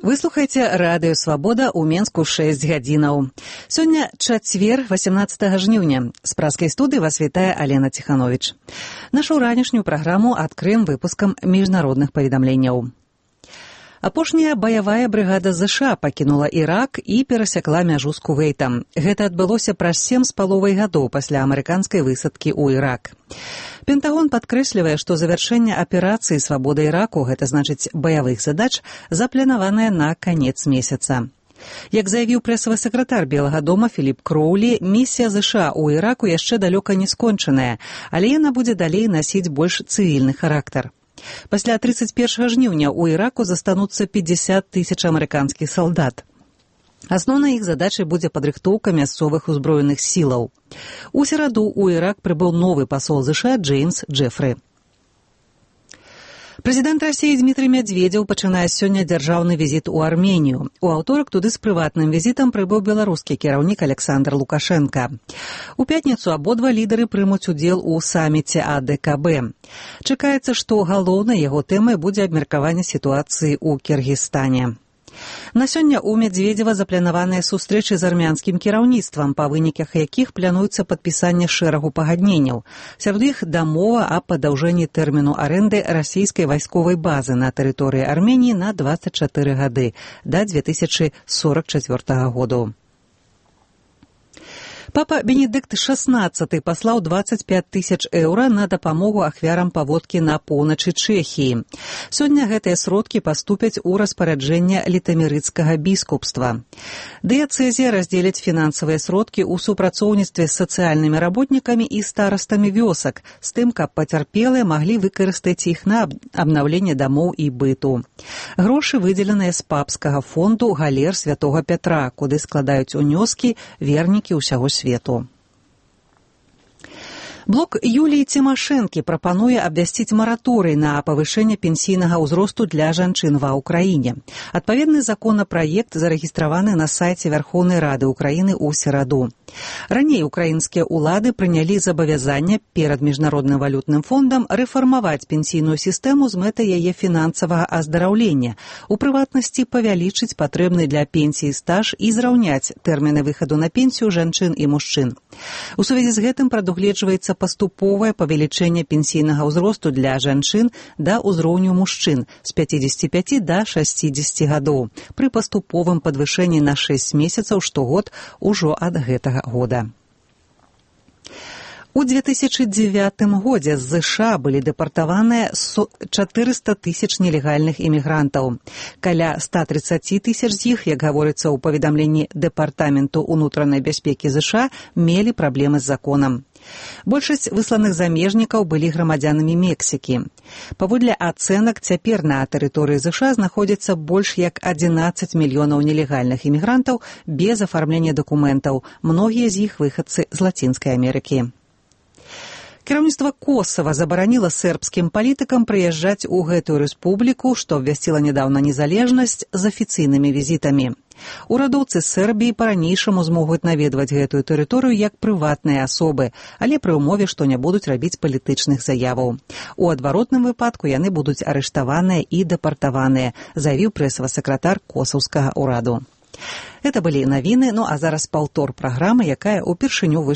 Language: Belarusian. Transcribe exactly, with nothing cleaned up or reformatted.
Вы слухаеце радыё «Свабода» ў Менску шэсць гадзінаў. Сёння чацвер, васемнаццатага жніўня. З праскай студыі вас вітае Алена Ціхановіч. Нашу ранішнюю праграму адкрыем выпускам міжнародных паведамленняў. Апошняя баявая брыгада ЗША пакінула Ірак і перасякла мяжу з Кувейтам. Гэта адбылося праз сем з паловай гадоў пасля амерыканскай высадкі ў Ірак. Пентагон падкрэслівае, што завяршэнне аперацыі «Свабода Іраку», гэта значыць баявых задач, запланаванае на канец месяца. Як заявіў прэсавы сакратар Белага дома Філіп Кроулі, місія ЗША ў Іраку яшчэ далёка не скончаная, але яна будзе далей насіць больш цывільны характар. Пасля трыццаць першага жніўня ў Іраку застануцца пятьдесят тысяч амерыканскіх салдат. Асноўнай іх задачай будзе падрыхтоўка мясцовых узброеных сілаў. У сераду ў Ірак прыбыў новы пасол ЗША Джеймс Джефры. Прэзідэнт Расіі Дмітрый Мядзведзеў пачынае сёння дзяржаўны візіт у Арменію. У аўторак туды з прыватным візітам прыбыў беларускі кіраўнік Александр Лукашенка. У пятніцу абодва лідары прымуць удзел у саміце А Дэ Ка Бэ. Чакаецца, што галоўнай яго тэмай будзе абмеркаванне сітуацыі ў Кіргізстане. На сёння ў Мядзведзева запланаваныя сустрэчы з армянскім кіраўніцтвам, па выніках якіх плануецца падпісанне шэрагу пагадненняў. Сярод іх дамова аб падаўжэнні тэрміну арэнды расійскай вайсковай базы на тэрыторыі Арменіі на дваццаць чатыры гады, да дзве тысячы сорак чацвёртага году. Папа Бенедыкт шаснаццаты паслаў дваццаць пяць тысяч еўра на дапамогу ахвярам паводкі на поўначы Чэхіі. Сёння гэтыя сродкі паступяць у распараджэнне літамерыцкага біскупства. Дыяцэзія раздзеліць фінансавыя сродкі ў супрацоўніцтве з сацыяльнымі работнікамі і старастамі вёсак, з тым, каб пацярпелыя маглі выкарыстаць іх на абнаўленне дамоў і быту. Грошы выдзеленыя з папскага фонду галер святога Пятра, куды складаюць унёскі вернікі ўсяго свету. Блок Юліі Цімашэнкі прапануе абвясціць мараторый на павышэнне пенсійнага ўзросту для жанчын ва ўкраіне. Адпаведны законапраект зарэгістраваны на сайце Вярхоўнай Рады ўкраіны ў сераду. Раней украінскія ўлады прынялі забавязанне перад міжнародным валютным фондам рэфармаваць пенсійную сістэму з мэтай яе фінансавага аздараўлення, у прыватнасці павялічыць патрэбны для пенсіі стаж і зраўняць тэрміны выхаду на пенсію жанчын і мужчын. У сувязі з гэтым прадугледжваецца паступовае павелічэнне пенсійнага ўзросту для жанчын да ўзроўню мужчын з пяцідзесяці пяці да шасцідзесяці гадоў пры паступовым падвышэнні на шэсць месяцаў штогод ужо ад гэтага года. У дзве тысячы дзевятым годзе з ЗША былі дэпартаваныя чатырыста тысяч нелегальных імігрантаў. Каля ста трыццаці тысяч з іх, як гаворыцца ў паведамленні Дэпартаменту ўнутранай бяспекі ЗША, мелі праблемы з законам. Большасць высланых замежнікаў былі грамадзянамі Мексікі. Паводле ацэнак, цяпер на тэрыторыі ЗША знаходзіцца больш як адзінаццаць мільёнаў нелегальных імігрантаў без афармлення дакументаў, многія з іх выхадцы з Лацінскай Амерыкі. Кіраўніцтва Косава забараніла сербскім палітыкам прыязджаць у гэтую рэспубліку, што абвясціла нядаўна незалежнасць, з афіцыйнымі візітамі. Урадоўцы Сербіі па-ранейшаму змогуць наведваць гэтую тэрыторыю як прыватныя асобы, але пры ўмове, што не будуць рабіць палітычных заяваў. У адваротным выпадку яны будуць арыштаваныя і дэпартаваныя, заявіў прэсавы сакратар косаўскага ўраду. Гэта былі навіны, ну а зараз паўтор праграмы, якая ўпершыню выйшла